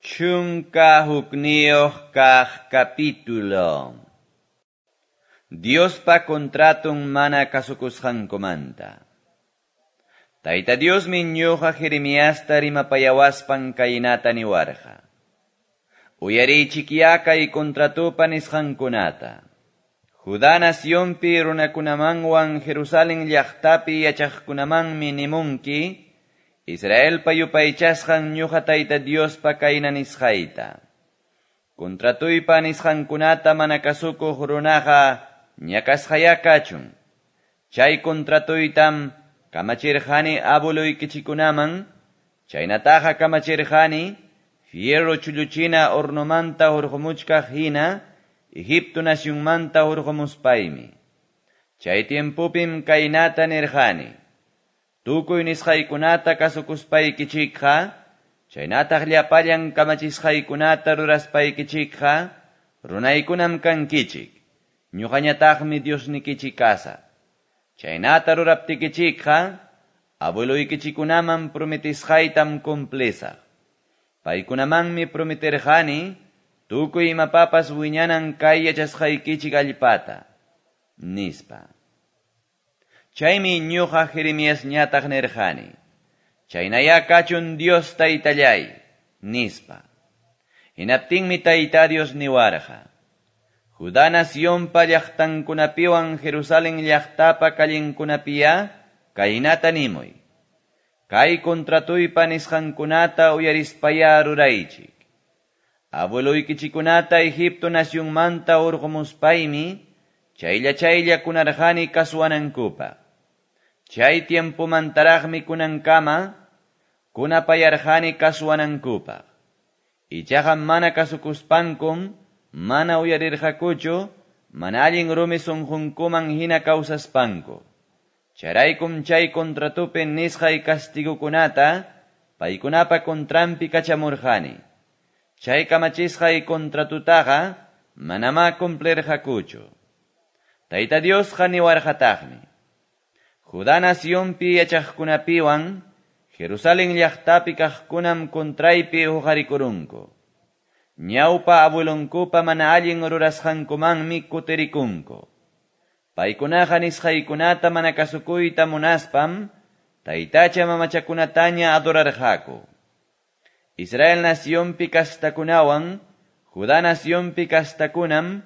11 kaq capítulo. Diospa contraton mana kasukusqankumanta. Tayta Diosmi ñuqa Jeremiasta rimapayawaspan kaynata niwarqa. Uyariychikyá kay contratopa nisqankunata. Judá nacionpi runakunamanwan Jerusalén llaqtapi yachaqkunamanmi nimunki, Israelpa yupaychasqan ñuqa Tayta Diospa kayna nisqayta. Contratuypa nisqankunata mana kasukuq runaqa ñakasqayá kachun. Chay contratuytam kamachirqani abueluykichikunaman, chaynataqa kamachirqani fierro chulluchina hornomanta hurqumuchkaq hina Egipto nacionmanta hurqumuspaymi. Chay tiempopim kaynata nirqani. Tukuy nisqaykunata kasukuspaykichikqa, chaynataq llapallan kamachisqaykunata ruraspaykichikqa, runaykunam kankichik, ñuqañataqmi Diosnikichik kasaq. Chaynata ruraptikichikqa, abueluykichikunaman prometisqaytam cumplisaq. Paykunamanmi prometerqani, tukuy imapapas wiñanan kay yachasqaykichik allpata, nispa. Chaymi ñuqa Jeremiasñataq nirqani, chaynayá kachun Dios taytallay, nispa. Hinaptinmi Tayta Dios niwarqa, Judá nacionpa llaqtankunapiwan Jerusalén llaqtapa callenkunapiyá kaynata nimuy. Kay contratuypa nisqankunata uyarispayá ruraychik. Abueluykichikunata Egipto nacionmanta hurqumuspaymi, chaylla chaylla kunarqani kasuwanankupaq. Chay tiempomantaraqmi kunankama, kunapayarqani kasuwanankupaq. Ichaqa mana kasukuspankum, mana uyarirqakuchu, mana allin rumi sunqunkuman hina kawsaspanku. Chayraykum chay contratopi nisqay castigukunata, paykunapa contranpi kachamurqani. Chay kamachisqay contratutaqa manamá cumplirqakuchu. Tayta Diosqa niwarqataqmi. Judá nacionpi yachaqkunapiwan, Jerusalén llaqtapi kaqkunam contraypi huqarikurunku. Ñawpa abuelonkupa mana allin rurasqankumanmi kutirikunku. Paykunaqa nisqaykunata mana kasukuyta munaspam, taytacha mamachakunataña adorarqaku. Israel nacionpi kastakunawan, Judá nacionpi kastakunam,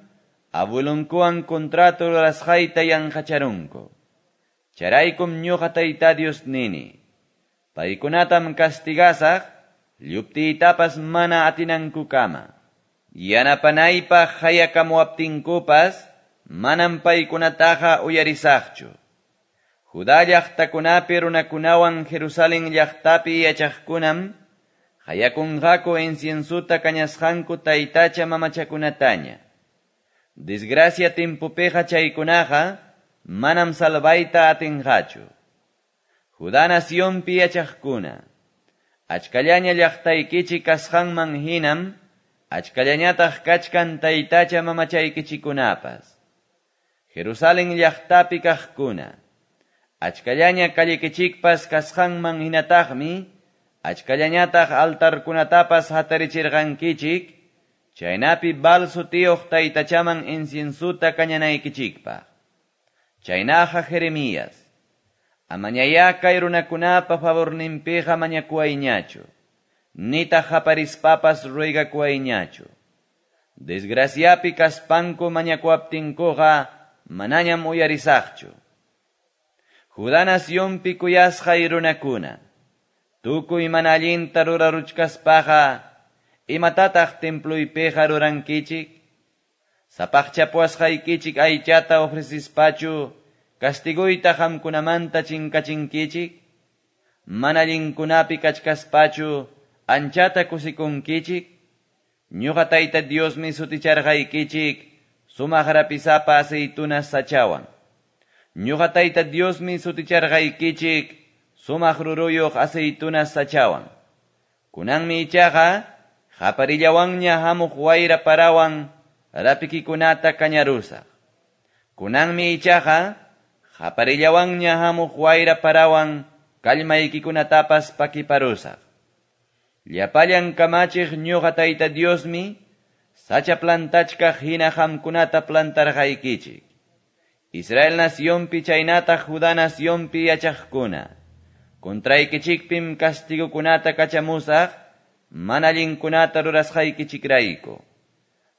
abuelonkuwan contrato rurasqayta yanqacharunku. Chayraykum ñuqa Tayta Dios nini. Paykunatam castigasaq, lluptiytapas mana atinankukama. Yanapanaypaq hayakamuwaptinkupas, manam paykunataqa uyarisaqchu. Judá llaqtakunapi runakunawan Jerusalén llaqtapi yachaqkunam, hayakunqaku inciensuta kañasqanku taytacha mamachakunataña. Desgracia timpupiqa chaykunaqa, manam salvayta atinqachu. Judá nacionpi yachaqkuna, achkallaña llaqtaykichik kasqanman hinam, achkallañataq kachkan taytacha mamachaykichikunapas. Jerusalén llaqtapi kaqkuna, achkallaña callekichikpas kasqanman hinataqmi, achkallañataq altarkunatapas hatarichirqankichik, chaynapi Baal sutiyuq taytachaman inciensuta kañanaykichikpaq. Chaynaqa Jeremías, amañayá kay runakunapa favorninpiqa mañakuwayñachu, nitaq haparispapas ruegakuwayñachu. Desgraciapi kaspanku mañakuwaptinkuqa manañam uyarisaqchu. Judá nacionpi kuyasqay runakuna, tukuy mana allinta ruraruchkaspaqa, imatataq templuypiqa rurankichik? Sapaqchapuwasqaykichik aychata ofrecispachu, castiguyta qamkunamanta chinkachinkichik? Mana allinkunapi kachkaspachu, anchata kusikunkichik? Ñuqa Tayta Diosmi suticharqaykichik, sumaq rapisapa aceitunas sachawan. Ñuqa Tayta Diosmi suticharqaykichik, sumaq ruruyuq aceitunas sachawan. Kunanmi ichaqa, qaparillawanña hamuq wayra parawan, rapikikunata kañarusaq. Kunanmi ichaqa, qaparillawanña hamuq wayra parawan, kallmaykikunatapas pakiparusaq. Llapallan kamachiq ñuqa Tayta Diosmi, sacha plantachkaq hina qamkunata plantarqaykichik. Israel nacionpi chaynataq Judá nacionpi yachaqkuna, contraykichikpim castigokunata kachamusaq, mana allinkunata rurasqaykichikrayku.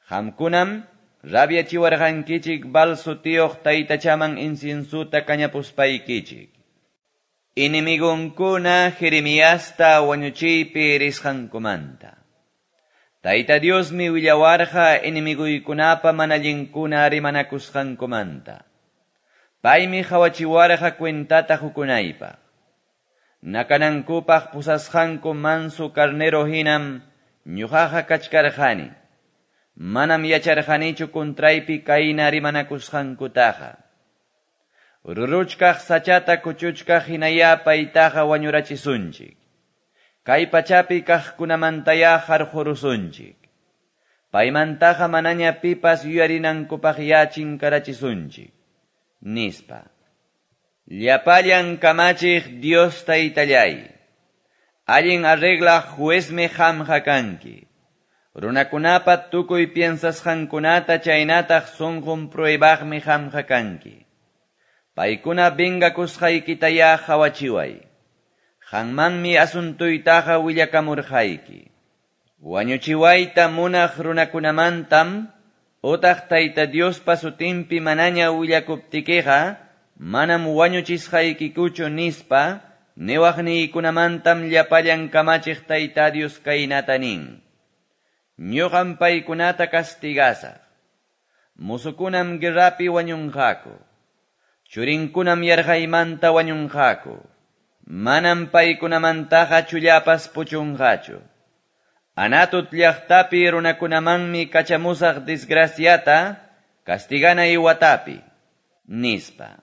Qamkunam rabiachiwarqankichik Baal sutiyuq taytachaman inciensuta kañapuspaykichik. Enemigunkuna Jeremiasta wañuchiypi risqankumanta. Tayta Diosmi willawarqa enemiguykunapa mana allinkuna rimanakusqankumanta. Paymi qawachiwarqa cuentata hukunaypaq. Nakanankupaq pusasqanku manso carnero hinam ñuqaqa kachkarqani. Manam yacharqanichu contraypi kayna rimanakusqankutaqa. Ruruchkaq sachata kuchuchkaq hinaya paytaqa wañurachisunchik. Kay pachapi kaqkunamantaya harqurusunchik. Paymantaqa manaña pipas yuyarinankupaq ya chinkarachisunchik. Nispa. Llapallan kamachiq Dios taytallay. Allin arreglaq juezmi qamqa kanki. Runakunapa tukuy piensasqankunata chaynataq sunqun pruebaqmi qamqa kanki. Paykuna vengakusqaykitaya qawachiway. Qanmanmi asuntuytaqa willakamurqayki. Wañuchiwayta munaq runakunamantam, utaq Tayta Diospa sutinpi manaña willakuptikiqa, manam wañuchisqaykikuchu nispa, niwaqniykunamantam llapallan kamachiq Tayta Dios kaynata nin. Ñuqam paykunata castigasaq. Musukunam guerrapi wañunqaku. Churinkunam yarqaymanta wañunqaku. Manam paykunamantaqa chullapas puchunqachu. Anatot llaqtapi runakunamanmi kachamusaq desgraciata, castiganay watapi, nispa.